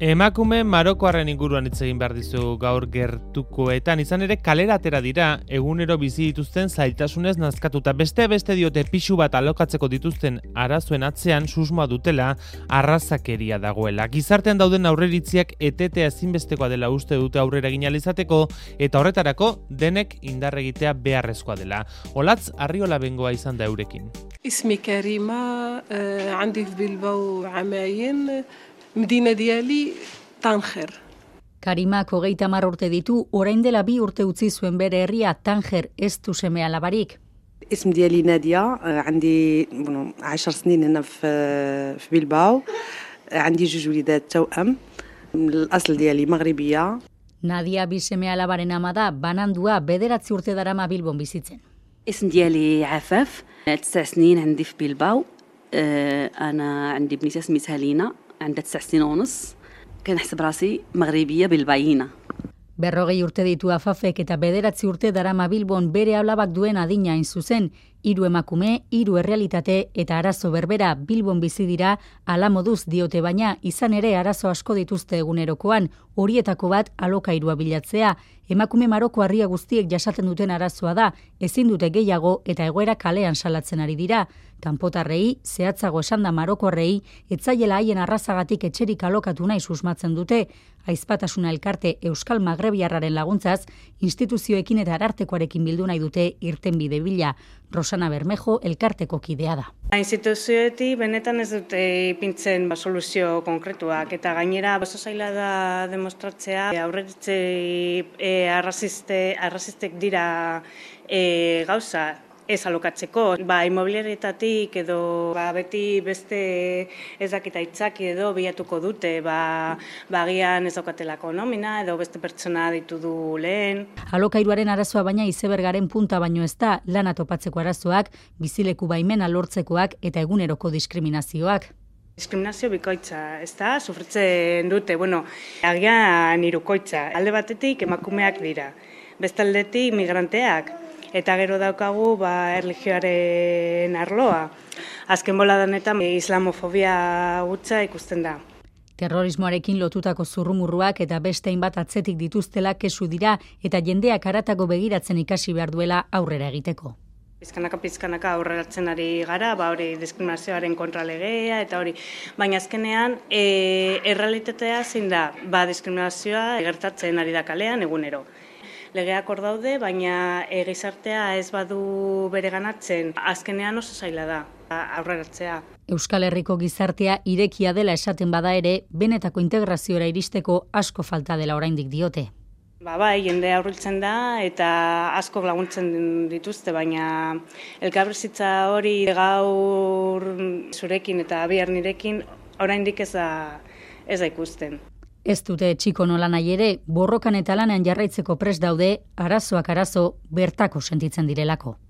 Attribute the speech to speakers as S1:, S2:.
S1: Emakume marokoarren inguruan hitz egin behar dizu gaur gertukoetan, izan ere kalera atera dira egunero bizi dituzten zailtasunez nazkatuta. Beste diote pisu bat alokatzeko dituzten arazoen atzean susmoa dutela arrazakeria dagoela. Gizartean dauden aurreritziak etetea ezinbestekoa dela uste dute aurrera egin ahal izateko eta horretarako denek indar egitea beharrezkoa dela. Olatz Arriola Bengoa izan da eurekin.
S2: اسمي كريمة عندي في بلباو عامين مدينة ديالي طنجر.
S3: Karimak 30 urte ditu, orain dela 2 urte utzi zuen bere herria Tanger ez du seme alabarik.
S4: اسم ديالي نادية عندي 10 سنين هنا في بلباو عندي 2 وليدات توأم الأصل ديالي مغربية.
S3: Nadia bi seme alabaren ama da, banandua 9 urte darama Bilbon bizitzen.
S5: اسم ديالي عفاف 9 سنين عندي في بلباو. أنا عندي بنيتي سميتها لينا عندها 9 سنين ونص كنحسب راسي مغربية بالباينة.
S3: 40 urte ditu Afafek eta 9 urte darama Bilbon bere alabak duen adina hain zuzen, 3 emakume, 3 errealitate eta arazo berbera Bilbon bizi dira hala moduz diote, baina izan ere arazo asko dituzte egunerokoan, horietako bat alokairua bilatzea. Emakume marokoarria guztiek jasaten duten arazoa da, ezin dute gehiago eta egoera kalean salatzen ari dira. Kanpotarrei, zehatzago esan da marokoarrei, etzaiela haien arrazagatik etxerik alokatu nahi susmatzen dute. Aizpatasuna elkarte Euskal Magrebiarraren laguntzaz, instituzioekin eta arartekoarekin bildu nahi dute irtenbide bila. Rosana Bermejo elkarteko kidea da.
S6: Instituzioetik benetan ez dute ipintzen soluzio konkretuak eta gainera oso zaila da demostratzea aurreritzei arrazistek dira gauza ez alokatzeko. Inmobiliarietatik edo beti beste ez dakita itzaki edo bilatuko dute, agian ez daukatelako nomina edo beste pertsona ditu du lehen.
S3: Alokairuaren arazoa baina izebergaren punta baino ez da, lana topatzeko arazoak, bizileku baimena lortzekoak eta eguneroko diskriminazioak.
S6: Diskriminazio bikoitza, ez da, sufritzen dute, agian hirukoitza. Alde batetik emakumeak dira, beste aldetik migranteak. Eta gero daukagu erlijioaren arloa. Azken boladanetan islamofobia hutsa ikusten da.
S3: Terrorismoarekin lotutako zurrumurruak eta beste hainbat atzetik dituztela kesu dira eta jendeak haratago begiratzen ikasi behar duela aurrera egiteko.
S6: Pizkanaka aurreratzen ari gara, hori diskriminazioaren kontralegea eta hori. Baina azkenean errealitatea zein da, diskriminazioa gertatzen ari da kalean egunero. Legeak hor daude, baina gizartea ez badu bereganatzen, azkenean oso zaila da aurreratzea.
S3: Euskal Herriko gizartea irekia dela esaten bada ere, benetako integraziora iristeko asko falta dela oraindik diote.
S6: Jende aurriltzen da eta asko laguntzen dituzte, baina elkarbizitza hori gaur zurekin eta bihar nirekin oraindik ez da ikusten.
S3: Ez dute txiko nola nahi ere, borrokan eta lanean jarraitzeko prest daude, arazoak arazo bertako sentitzen direlako.